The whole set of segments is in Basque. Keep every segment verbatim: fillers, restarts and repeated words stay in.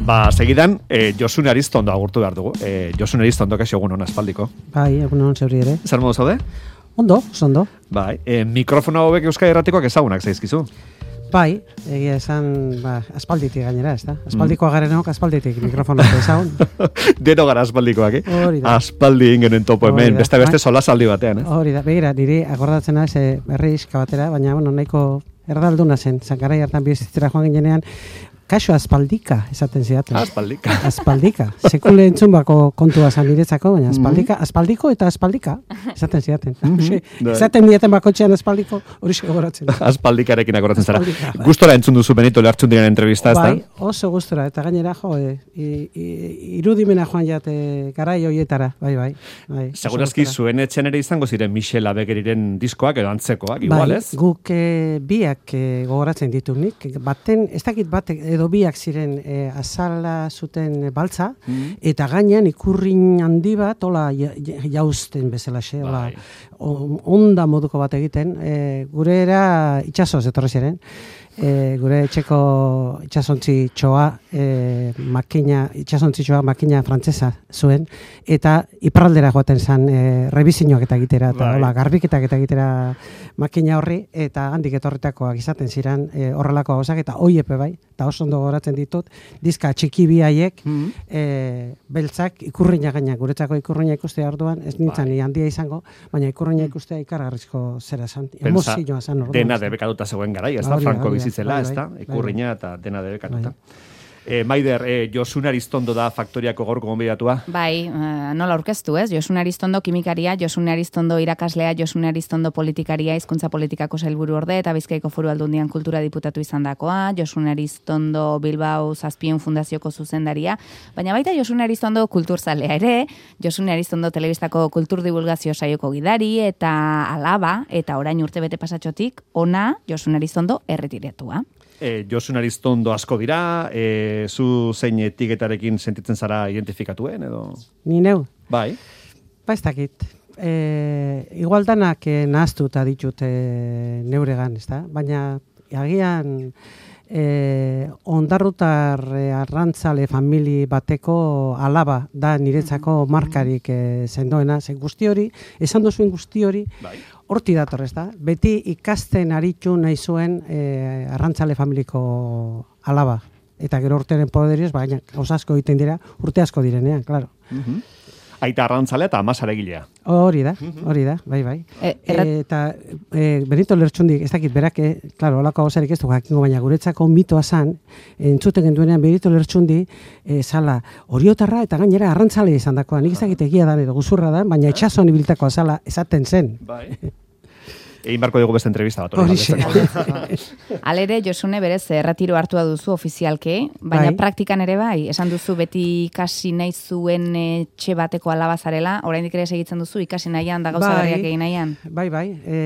Ba, segidan, eh, Josune Aristondo agurtu behar dugu. Eh, Josune Aristondo, kaixo egun hona aspaldiko. Bai, egun hon zeuri ere. Zer modu zaude? Ondo, ondo. Bai, eh, mikrofono hauek Euskadi Irratikoak ezagunak zaizkizu. Bai, egia esan, ba, aspalditik gainera, ez da? Aspaldikoa garenok, aspalditik mikrofonoak ezagun. Deno gara aspaldikoak, eh? Hori da. Aspaldi ingenen topo hemen, beste beste solasaldi batean, eh? Hori da, begira, niri akordatzen naiz e, berrizka batera, baina, bueno, nahiko erdalduna zen, zankarai hartan bizitzera joan ginean, kaso aspaldika esaten zidaten. Aspaldika. Aspaldika. Sekule entzun bako kontua zan niretzako, baina aspaldika, aspaldiko eta aspaldika esaten zidaten. Esaten dieten bakotxean aspaldiko, hori segoratzen. Aspaldikarekin akoratzen zara. Gustora entzun duzu Benito Lertxundiren entrevista, ez da? Bai, oso gustora, eta gainera, jo, e, irudimena joan jate garai hoietara, bai, bai. bai Segurazki zuen etxen ere izango ziren Michel Abegeriren diskoak edo antzekoak, igual, ez? Bai, guk e, biak e, gogoratzen ditu nik, baten, ez dakit batek, edo biak ziren e, azala zuten baltza, mm. eta gainean ikurrin handi bat, hola jauzten bezalaxe, hola onda moduko bat egiten, e, gure era itxasoz etorri ziren, e, gure etxeko itxasontzi txoa, e, makina, itxasontzi txoa makina frantzesa zuen, eta iparraldera joaten zen e, rebizinoak eta egitera, eta hola, garbiketak eta egitera makina horri, eta handik etorritakoak izaten ziren e, horrelako gauzak, eta oiepe bai, eta oso ondo goratzen ditut, dizka txiki bi haiek, mm-hmm. e, beltzak ikurriña gaina, guretzako ikurriña ikustea orduan, ez nintzen ni handia izango, baina ikurriña ikustea ikargarrizko zera zan, emozioa zan orduan. Dena debekatuta zegoen garai, ez da, Franco bizitzela, ez da, ikurriña eta dena debekatuta. Eh, Maider, eh, Josune Aristondo da faktoriako gaurko gonbidatua? Bai, uh, nola aurkeztu, ez? Josune Aristondo kimikaria, Josune Aristondo irakaslea, Josune Aristondo politikaria, hizkuntza politikako sailburu orde eta Bizkaiko Foru Aldundian kultura diputatu izandakoa, Josune Aristondo Bilbao Zazpiehun fundazioko zuzendaria, baina baita Josune Aristondo kulturzalea ere, Josune Aristondo telebistako kultur divulgazio saioko gidari eta alaba, eta orain urtebete pasatxotik, ona Josune Aristondo erretiratua. E, Josune Aristondo asko dira, e, zu zein etiketarekin sentitzen zara identifikatuen, edo? Ni neu? Bai. Ba ez dakit. E, igual danak e, nahaztuta ditut e, neuregan, ez da? Baina agian e, ondarrutar e, arrantzale famili bateko alaba da niretzako markarik e, zendoena, ze guzti hori, esan duzuen guzti hori, bai. Horti dator, ez da? Beti ikasten aritu nahi zuen e, arrantzale familiko alaba. Eta gero urteren poderioz, baina gauza asko egiten dira, urte asko direnean, klaro. Uh-huh. Aita arrantzalea eta amasaregilea. Hori da, hori da, bai, bai. E, errat... Eta e, Benito Lertxundik, ez dakit, berak, klaro, holako gauzarik ez du jakingo, baina guretzako mitoa zan, entzuten genduenean Benito Lertxundi, e, zala, oriotarra eta gainera arrantzale izan dakoa. Nik ez dakit egia da, edo guzurra da, baina itxasoan ibiltakoa zala esaten zen. Bai. Egin barko dugu beste entrevista bat. Horixe. Alere, Josune, berez, erratiro hartua duzu ofizialke, baina bai. Praktikan ere bai, esan duzu beti ikasi nahi zuen etxe bateko alabazarela, oraindik ere segitzen duzu, ikasi nahian da gauza berriak egin nahian. Bai, bai, e,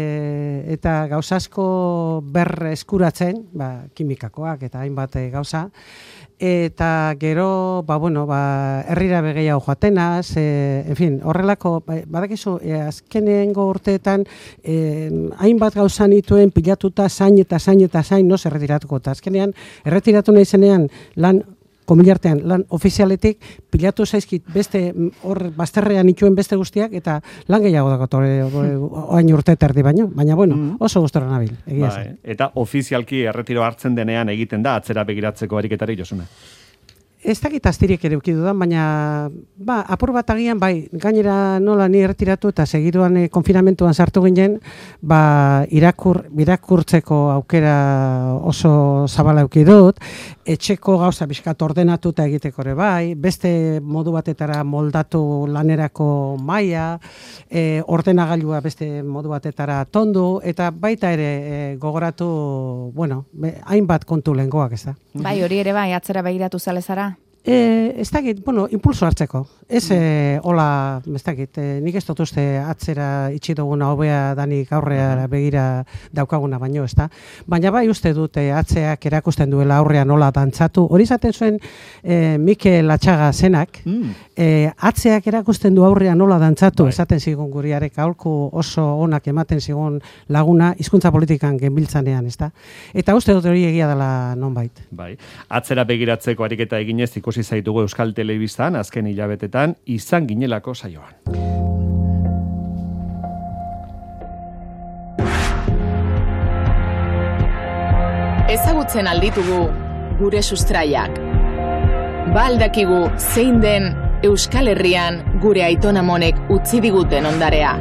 eta gauzasko berre eskuratzen, ba, kimikakoak eta hainbat gauza, eta gero, ba, bueno, ba, herrira begeiago joatenaz, e, en fin, horrelako, ba, badakizu, e, azkenengo urteetan, e, hainbat gauza nituen pilatuta zain eta zain eta zain, no, erretiratuko, eta azkenean, erretiratu nahi zenean, lan, komilartean, lan ofizialetik, pilatu zaizkit beste, hor, bazterrean nituen beste guztiak, eta lan gehiago dakot, oain urte terdi baino, baina, bueno, oso gustora nabil, egia zen. Eta ofizialki erretiro hartzen denean egiten da, atzera begiratzeko ariketari, Josune? Ez dakit astirik ere ukidu da, baina ba, apur bat agian, bai, gainera nola ni erretiratu eta segiduan e, konfinamentuan sartu ginen, ba, irakur, irakurtzeko aukera oso zabala eukidut, etxeko gauza bizkat ordenatu eta egiteko ere bai, beste modu batetara moldatu lanerako maila, e, ordenagailua beste modu batetara tondu, eta baita ere e, gogoratu, bueno, be, hainbat kontu lehengoak, ez da. Bai, hori ere bai, atzera begiratu zalezara? E, ez dakit, bueno, impulso hartzeko. Ez, e, hola, ez dakit, e, nik ez dut uste atzera itxi duguna hobea danik aurrea begira daukaguna baino, ez da. Baina bai uste dute atzeak erakusten duela aurrean hola dantzatu. Hori zaten zuen e, Mikel Atxaga zenak, mm. e, atzeak erakusten du aurrean nola dantzatu, bai. Esaten zigun guriarek aholku oso onak ematen zigun laguna hizkuntza politikan genbiltzanean, ezta? Eta uste dut hori egia dela nonbait. Bai. Atzera begiratzeko ariketa eginez ikusi zaitugu Euskal Telebistan azken hilabetetan izan ginelako saioan. Ezagutzen alditugu gure sustraiak. Ba aldakigu zein den Euskal Herrian gure aitonamonek utzi diguten ondarea.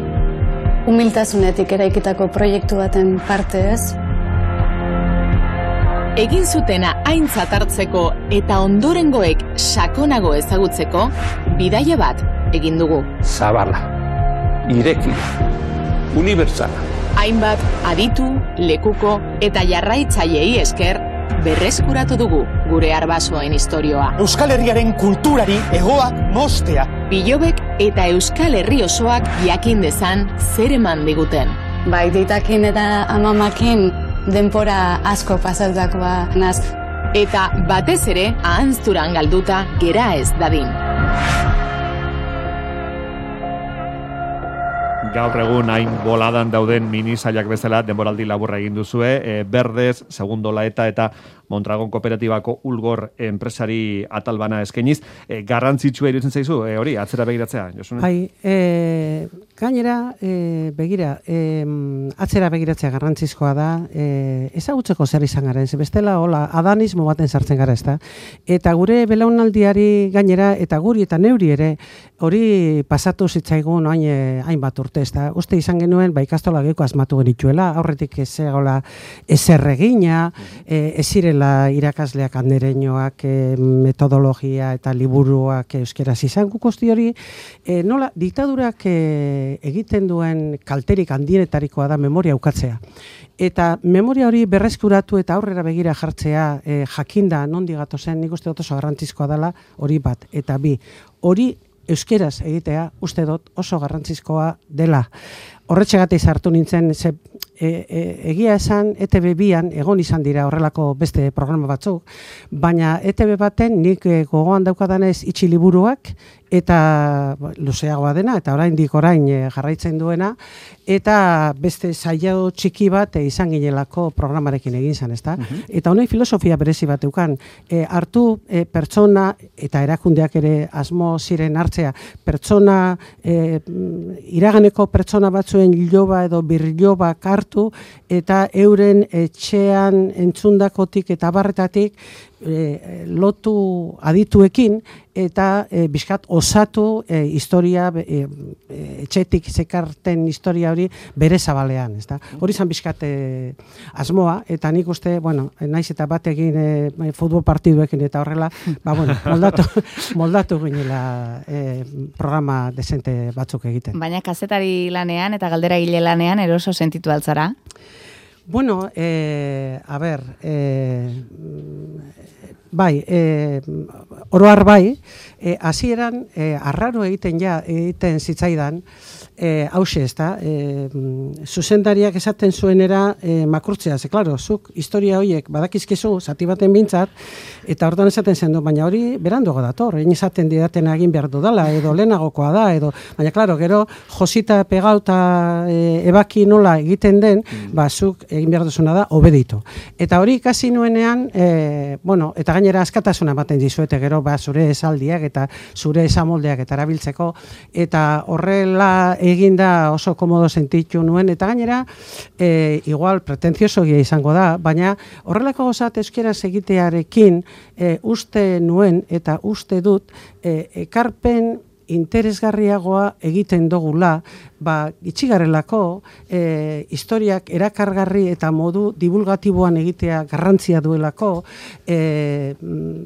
Humiltasunetik eraikitako proiektu baten parte ez? Egin zutena aintzat hartzeko eta ondorengoek sakonago ezagutzeko bidaia bat egin dugu. Zabala, irekia, unibertsala. Hainbat aditu, lekuko eta jarraitzaileei esker berreskuratu dugu gure arbasoen istorioa. Euskal Herriaren kulturari egoak mostea. Bilobek eta Euskal Herri osoak jakin dezan zer eman diguten. Bai, deitakin eta amamakin denpora asko pasatakoa naz. Eta batez ere ahanzturan galduta gera ez dadin. Gaur egun hain boladan dauden minisailak bezala denboraldi laburra egin duzue, e, Berdez, Segundo Laeta eta Mondragon Kooperatibako Ulgor enpresari atalbana eskeniz, e, garrantzitsua iruditzen zaizu, e, hori, atzera begiratzea, Josune? Bai, e, gainera, e, begira, e, atzera begiratzea garrantzizkoa da, e, ezagutzeko zer izan garen, ze bestela, hola, adanismo baten sartzen gara, ezta? Eta gure belaunaldiari gainera, eta guri eta neuri ere, hori pasatu zitzaigun hain, hainbat urte, ezta? Uste izan genuen, ba, ikastola geko asmatu genituela, aurretik ez egola ezer egina, e, ez zirela irakasleak andereñoak, e, metodologia eta liburuak euskeraz izan gukosti hori, e, nola, diktadurak e, egiten duen kalterik handienetarikoa da memoria ukatzea. Eta memoria hori berreskuratu eta aurrera begira jartzea e, jakinda nondi gatozen, nik uste dut oso garrantzizkoa dela hori bat. Eta bi, hori euskeraz egitea uste dut oso garrantzizkoa dela. Horretxegatik sartu nintzen, ze, e, e, egia esan E T B bian egon izan dira horrelako beste programa batzuk, baina E T B baten nik e, gogoan daukadanez itxi liburuak eta luzeagoa dena, eta oraindik orain e, jarraitzen duena, eta beste saio txiki bat e, izan ginelako programarekin egin zen, ezta? Uh-huh. Eta honen filosofia berezi bat eukan, e, hartu e, pertsona eta erakundeak ere asmo ziren hartzea, pertsona, e, iraganeko pertsona batzuen iloba edo birlobak hartu, eta euren etxean entzundakotik eta barretatik E, lotu adituekin eta e, bizkat osatu e, historia e, e, etxetik zekarten historia hori bere zabalean, ezta? Hori zan bizkat e, asmoa, eta nik uste, bueno, naiz eta batekin e, futbol partiduekin eta horrela, ba, bueno, moldatu, moldatu ginela e, programa desente batzuk egiten. Baina kazetari lanean eta galdera gile lanean eroso sentitu altzara? Bueno, eh, a ber, eh, bai, eh, oroar bai, eh, hasieran eh, arraro egiten ja, egiten zitzaidan, eh, hause ez da, eh, zuzendariak esaten zuenera eh, makurtzea, ze, klaro, zuk historia horiek badakizkizu, zati baten bintzat, eta orduan esaten zen du, baina hori beranduago dator, egin esaten didaten egin behar dudala, edo lehenagokoa da, edo, baina, klaro, gero, josita pegauta e, ebaki nola egiten den, mm. ba, zuk egin behar duzuna da, obeditu. Eta hori ikasi nuenean, e, bueno, eta gainera askatasuna ematen dizuete gero, ba, zure esaldiak eta zure esamoldeak eta erabiltzeko, eta horrela eginda oso komodo sentitu nuen, eta gainera, e, igual pretenziosogia izango da, baina horrelako gozat euskeraz egitearekin e, uste nuen eta uste dut e, ekarpen interesgarriagoa egiten dugula, ba, itxigarrelako e, historiak erakargarri eta modu divulgatiboan egitea garrantzia duelako, e,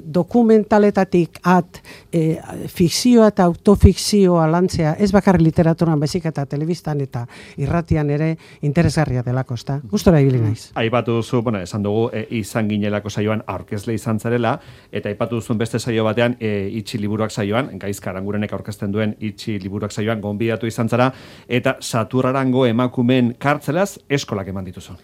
dokumentaletatik at e, fikzioa eta autofikzioa lantzea, ez bakarri literaturan baizik eta telebistan eta irratian ere interesgarria delako, ezta? Gustora ibili naiz. Aipatu duzu, bueno, esan dugu e, izan ginelako saioan aurkezle izan zarela, eta aipatu duzun beste saio batean e, itxi liburuak saioan, Gaizka Arangurenek aurkeztu aurkezten duen Itxi liburuak saioan gonbidatu izan zara, eta Saturrarango emakumeen kartzelaz eskolak eman dituzu.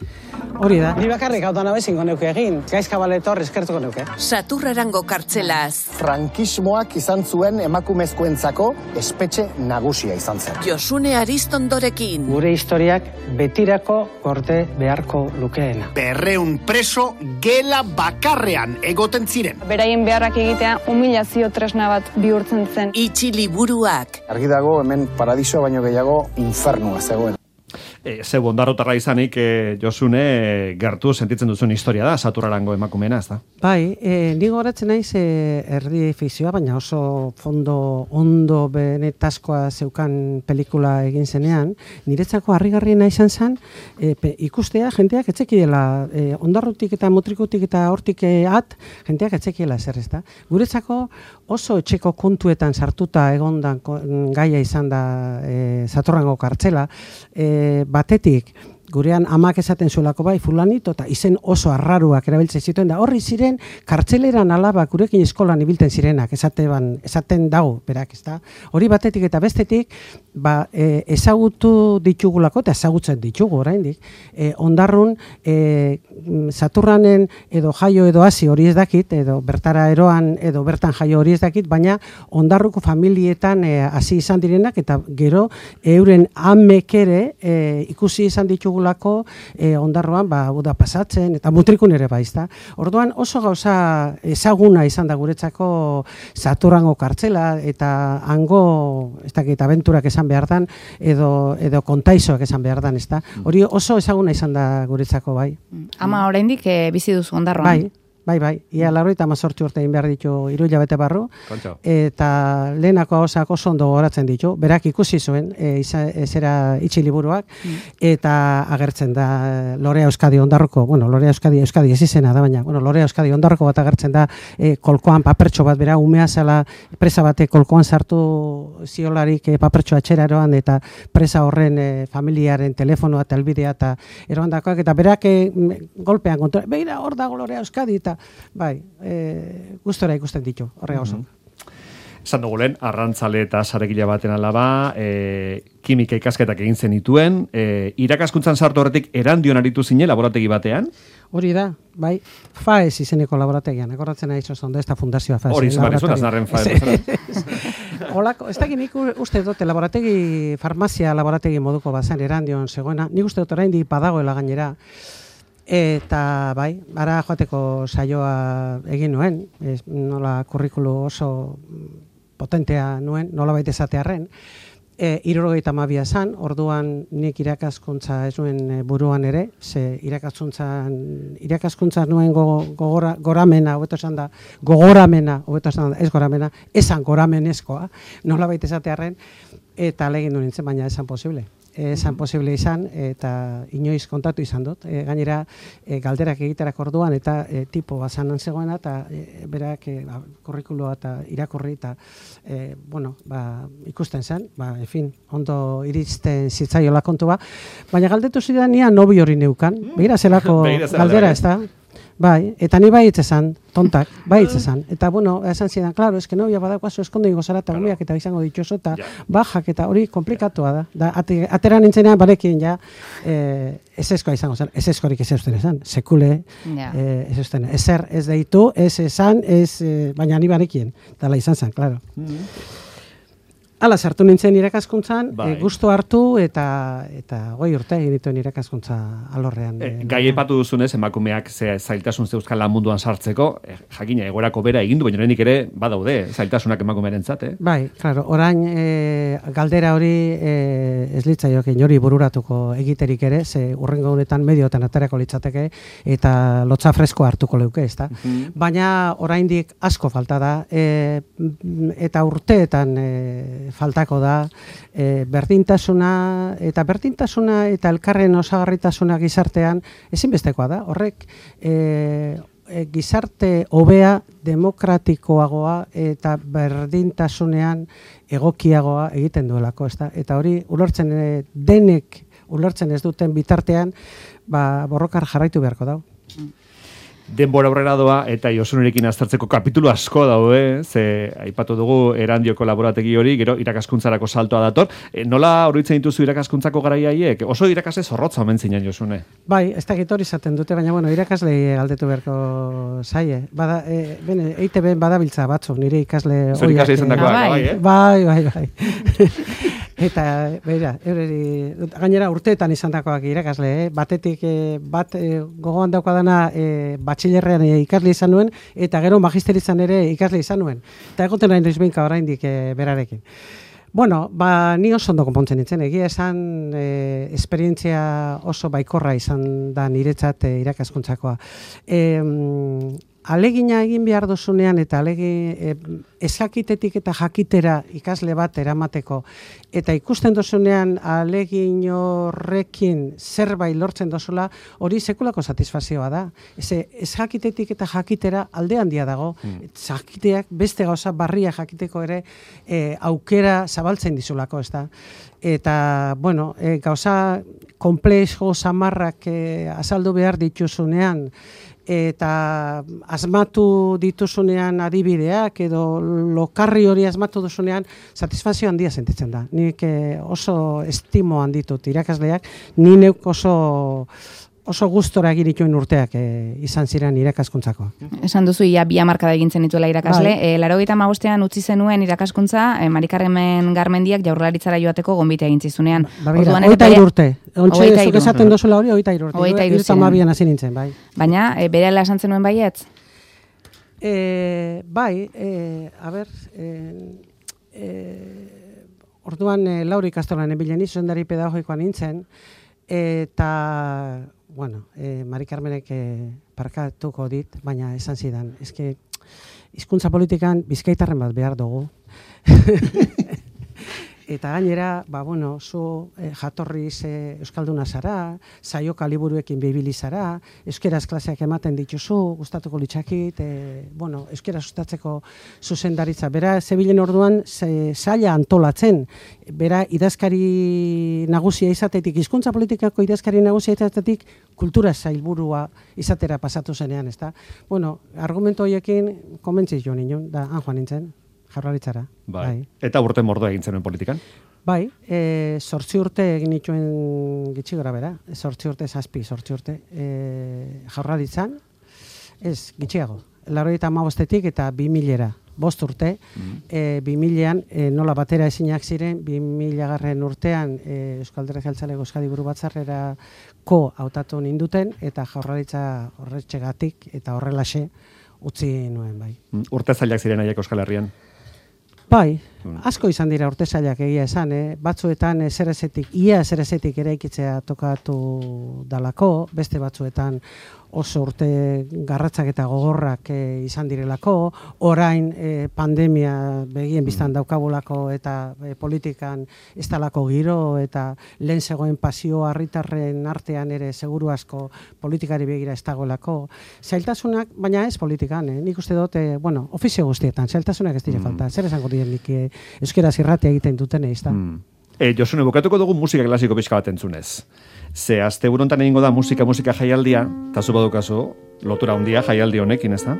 Hori da. Ni bakarrik hau dana bezingo neuke egin, gaizka baletor eskertuko neuke. Saturrarango kartzelaz. Frankismoak izan zuen emakumezkoentzako espetxe nagusia izan zen. Josune Aristondorekin. Gure historiak betirako gorde beharko lukeena. Berreun preso gela bakarrean egoten ziren. Beraien beharrak egitea humilazio tresna bat bihurtzen zen. Itxi liburuak. Argi dago hemen paradisoa baino gehiago infernua zegoen. E, zeu ondarrotarra izanik, e, Josune, e, gertu sentitzen duzun historia da, Saturrarango emakumeena, ez da? Bai, e, ni goratzen naiz e, erdi fikzioa, baina oso fondo ondo benetaskoa zeukan pelikula egin zenean, niretzako harrigarriena izan zen, e, pe, ikustea jenteak etzekiela, e, ondarrutik eta mutrikutik eta hortik e, at, jenteak etzekiela zer, ez da? Guretzako oso etxeko kontuetan sartuta egondan gaia izan da e, Saturrarango kartzela, e, batetik, gurean amak esaten zuelako bai, fulanito, eta izen oso arraruak erabiltzen zituen, da horri ziren kartzeleran alabak gurekin eskolan ibilten zirenak, esaten, esaten dago, berak, ez da? Hori batetik eta bestetik, ba, e, ezagutu ditugulako, eta ezagutzen ditugu oraindik, e, ondarrun, e, Saturranen edo jaio edo hasi hori ez dakit, edo bertara eroan edo bertan jaio hori ez dakit, baina ondarruko familietan hasi izan direnak, eta gero euren amek ere e, ikusi izan ditugulako e, ondarroan ba, uda pasatzen, eta mutrikun ere baizta. Orduan oso gauza ezaguna izan da guretzako Saturrarango kartzela, eta hango, ez dakit, abenturak esan behar dan, edo, edo kontaizoak esan behar dan, ez da. Hori oso ezaguna izan da guretzako, bai. Ama oraindik e, bizi duzu ondarroan. Bai. Bai, bai, ia laurogeita hemezortzi urte egin behar ditu hiru hilabete barru, Kontxo. Eta lehenako hausak oso ondo gogoratzen ditu, berak ikusi zuen, e, iza, zera Itxi liburuak, mm. eta agertzen da Lorea Euskadi ondarroko, bueno, Lorea Euskadi, Euskadi ez izena da, baina, bueno, Lorea Euskadi ondarroko bat agertzen da, e, kolkoan papertxo bat, bera, umea zela presa bate kolkoan sartu ziolarik e, papertxo atxera eroan, eta presa horren e, familiaren telefonoa eta elbidea, eta eroan dakoak, eta berak e, golpean kontra, beira, hor dago Lorea Euskadi, eta bai, e, gustora ikusten ditu, horrega oso. Esan dugu lehen, arrantzale eta saregila baten alaba, e, kimika ikasketak egin zenituen, e, irakaskuntzan sartu horretik erandion aritu zine laborategi batean? Hori da, bai, FAES izeneko laborategian, akordatzen nahi oso ondo, ez da fundazioa FAES. Hori izan barrizun, aznarren FAES. Olako, ez dakit nik uste dute laborategi, farmazia laborategi moduko bazan erandion zegoena, nik uste dut oraindik badagoela gainera, eta bai, ara joateko saioa egin nuen, ez, nola kurrikulu oso potentea nuen, nola baita esatearren, e, hirurogeita hamabia zan, orduan nik irakaskuntza ez nuen buruan ere, ze irakaskuntzan, irakaskuntza nuen go, gogora, goramena, hobeto esan da, gogoramena, hobeto esan da, ez goramena, esan goramenezkoa, nola baita esatearren, eta legin duen nintzen, baina esan posible. Esan posible izan, eta inoiz kontatu izan dut. E, gainera, e, galderak egiterak orduan, eta e, tipo bazanan zegoena, eta e, berak e, ba, kurrikulua eta irakurri, eta e, bueno, ba, ikusten zen, ba, en fin, ondo iristen zitzaiola kontua, baina galdetu zidan nia nobi hori neukan, begira zelako galdera ez da. Bai, eta ni bai esan, tontak, bai esan. Eta bueno, esan zidan, claro, es que novia badakoazu eskondo ingo zara eta umeak eta izango ditxoso eta bajak eta hori komplikatua da. Da ate, atera nintzenean barekin ja eh eseskoa izango zen. Eseskorik ez eusten esan. Sekule eh ez eusten. Ezer ez deitu, ez esan, ez eh, baina ni barekin. Dala izan zen, claro. Mm-hmm. Hala, sartu nintzen irakaskuntzan, bai. e, gustu hartu eta eta goi urte egin dituen irakaskuntza alorrean. E, gai aipatu duzunez, emakumeak ze zailtasun zeuzkan lan munduan sartzeko, e, jakina egorako bera egin du, baina oraindik ere badaude zailtasunak emakumearentzat, eh? Bai, claro, orain e, galdera hori e, ez litzaioke inori bururatuko egiterik ere, ze urrengo honetan medioetan aterako litzateke eta lotza fresko hartuko leuke, ezta? Mm-hmm. Baina oraindik asko falta da, e, eta urteetan e, faltako da, e, berdintasuna eta berdintasuna eta elkarren osagarritasuna gizartean ezinbestekoa da. Horrek e, e, gizarte hobea, demokratikoagoa eta berdintasunean egokiagoa egiten duelako, ezta? Eta hori ulertzen e, denek ulertzen ez duten bitartean, ba, borrokar jarraitu beharko dago. Denbora aurrera doa eta Josunerekin aztertzeko kapitulu asko daude, ze aipatu dugu Erandioko laborategi hori, gero irakaskuntzarako saltoa dator. E, nola oroitzen dituzu irakaskuntzako garaia haiek? Oso irakasle zorrotza omen zinen, Josune. Bai, ez dakit hori izaten dute, baina bueno, irakasle galdetu beharko zaie. Bada, e, bene, E I T B badabiltza batzu, nire ikasle Zer ikasle izan dakoak, bai, eh? Bai, bai, bai. Eta, beira, eureri, gainera urteetan izan dakoak irakasle, eh? Batetik eh, bat eh, gogoan daukadana eh, batxilerrean eh, ikasle izan nuen, eta gero magisterizan ere ikasle izan nuen. Eta egoten nahi noiz behinka oraindik eh, berarekin. Bueno, ba, ni oso ondo konpontzen nintzen, egia esan eh, esperientzia oso baikorra izan da niretzat eh, irakaskuntzakoa. Eh, Alegina egin behar duzunean eta alegin e, ezakitetik eta jakitera ikasle bat eramateko eta ikusten duzunean alegin horrekin zerbait lortzen duzula, hori sekulako satisfazioa da. Eze, ezakitetik eta jakitera alde handia dago. Hmm. Jakiteak beste gauza barria jakiteko ere e, aukera zabaltzen dizulako, ez da. Eta, bueno, e, gauza komplexo samarrak e, azaldu behar dituzunean, eta asmatu dituzunean adibideak edo lokarri hori asmatu duzunean satisfazio handia sentitzen da. Nik oso estimo handitut irakasleak, ni neuk oso oso gustora egin dituen urteak e, izan ziren irakaskuntzako. Esan duzu, ia bi hamarkada egintzen dituela irakasle. E, Laurogeita hamabostean utzi zenuen irakaskuntza, e, Mari Carmen Garmendiak Jaurlaritzara joateko gonbitea egin zizunean. Ba, bera, oita hiru urte. Ontxe, zuk esaten dozula hori, oita hiru urte. Oita hiru urte. hasi nintzen, bai. Baina, e, berehala esan zenuen baietz? E, bai, e, a ber, e, e, orduan e, Lauro ikastolan ebilen zuzendari pedagogikoan nintzen, eta bueno, eh, Mari Carmenek eh, parkatuko dit, baina esan zidan. Eske, hizkuntza politikan bizkaitarren bat behar dugu. Eta gainera, ba, bueno, zu eh, jatorriz eh, euskalduna zara, saioka liburuekin bibili zara, euskeraz klaseak ematen dituzu, gustatuko litzakit, eh, bueno, euskera sustatzeko zuzendaritza. Bera, zebilen orduan, ze, zaila antolatzen. Bera, idazkari nagusia izatetik, hizkuntza politikako idazkari nagusia izatetik, kultura zailburua izatera pasatu zenean, ezta? Bueno, argumento horiekin komentziz jo nion, da, han joan nintzen. Jaurlaritzara. Bai. Bai. Eta urte mordoa egin zenuen politikan? Bai, e, zortzi urte egin nituen gitxi gora bera, zortzi urte, zazpi, zortzi urte, e, Jaurlaritzan, ez, gitxiago, laurogeita hamabostetik eta bi milera, bost urte, mm. e, bi milean e, nola batera ezinak ziren, bi mila garren urtean e, Euskal Alderdi Jeltzaleko Euskadi Buru Batzarrera ko hautatu ninduten, eta Jaurlaritza horretxegatik eta horrelaxe utzi nuen, bai. Urte zailak ziren haiek Euskal Herrian? Bai, asko izan dira urte zailak egia esan, eh? Batzuetan zerezetik, ia zerezetik eraikitzea tokatu dalako, beste batzuetan oso urte garratzak eta gogorrak e, izan direlako, orain e, pandemia begien biztan daukabulako eta e, politikan ez talako giro eta lehen zegoen pasio herritarren artean ere seguru asko politikari begira ez dagoelako. Zailtasunak, baina ez politikan, eh? Nik uste dut, e, bueno, ofizio guztietan, zailtasunak ez dire mm. falta, zer esango diren nik e, euskeraz irratia egiten duten ez da. Mm. E, Josune, bukatuko dugu musika klasiko pixka bat entzunez. Ze azte burontan egingo da musika, musika jaialdia, eta zu badukazu, lotura handia jaialdi honekin, ez da?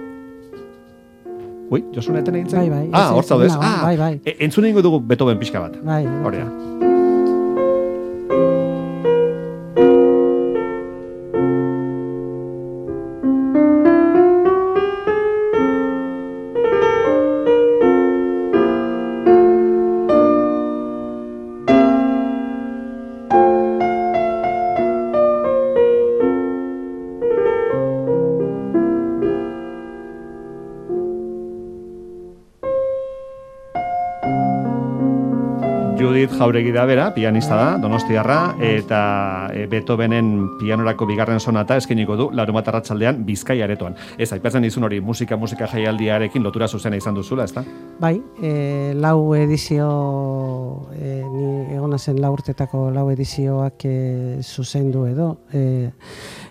Ui, Josune eten egin zen? Bai, bai. Ah, hor zaudez. Ah, bai, bai. E, entzun egingo dugu Beethoven pixka bat. Bai. Horea. Jauregi da bera, pianista da, donostiarra, eta Beethovenen pianorako bigarren sonata eskeniko du Larunbat arratsaldean Bizkaia aretoan. Ez, aipatzen dizun hori musika musika jaialdiarekin lotura zuzena izan duzula, ezta? Bai, e, lau edizio, e, ni egona zen lau urtetako lau edizioak e, zuzendu edo, e,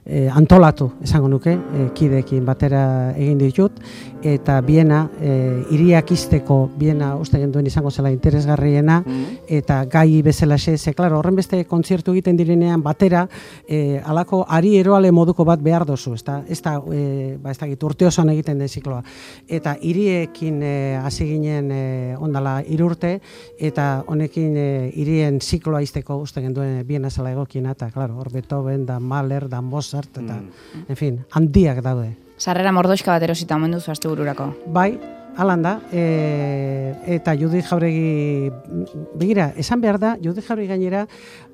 e, antolatu, esango nuke, e, kideekin batera egin ditut, eta biena, e, iriak izteko biena uste genduen izango zela interesgarriena, eta gai bezalaxe, ze, klaro, horren beste kontzertu egiten direnean batera, e, alako ari eroale moduko bat behar dozu, ez da, ez da, e, ba, ez da gitu, urte osoan egiten den zikloa. Eta hiriekin e, hasi ginen e, ondala irurte, eta honekin e, hirien zikloa izteko uste genduen biena zela egokiena, eta, klaro, hor Beethoven, da Mahler, da Mozart, eta, mm. en fin, handiak daude. Sarrera mordoxka bat erosita omen duzu astebururako. Bai, halan da, e, eta Judith Jauregi, begira, esan behar da, Judith Jauregi gainera,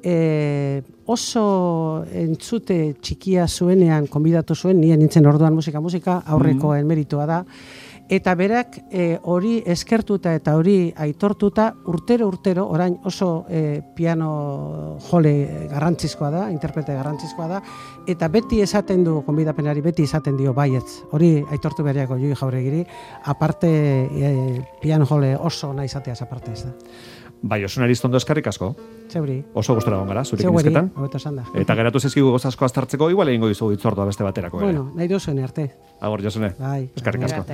e, oso entzute txikia zuenean konbidatu zuen, nien nintzen orduan musika-musika, aurrekoen mm. meritua da, eta berak e, hori eskertuta eta hori aitortuta urtero-urtero, orain oso e, piano jole garrantzizkoa da, interprete garrantzizkoa da, eta beti esaten du, konbidapenari beti esaten dio baietz, hori aitortu bereako Judith Jauregiri, aparte e, piano jole oso nahi izateaz aparte ez da. Bai, Josun Aristondo eskarrik asko. Zeuri. Oso gustora egon gara, zurekin izketan. Zeuri, eta geratu zezkigu gozazko aztartzeko, igual egingo dizugu itzordua beste baterako. Bueno, nahi duzuen arte. Agor, Josune. Bai. Eskarrik asko.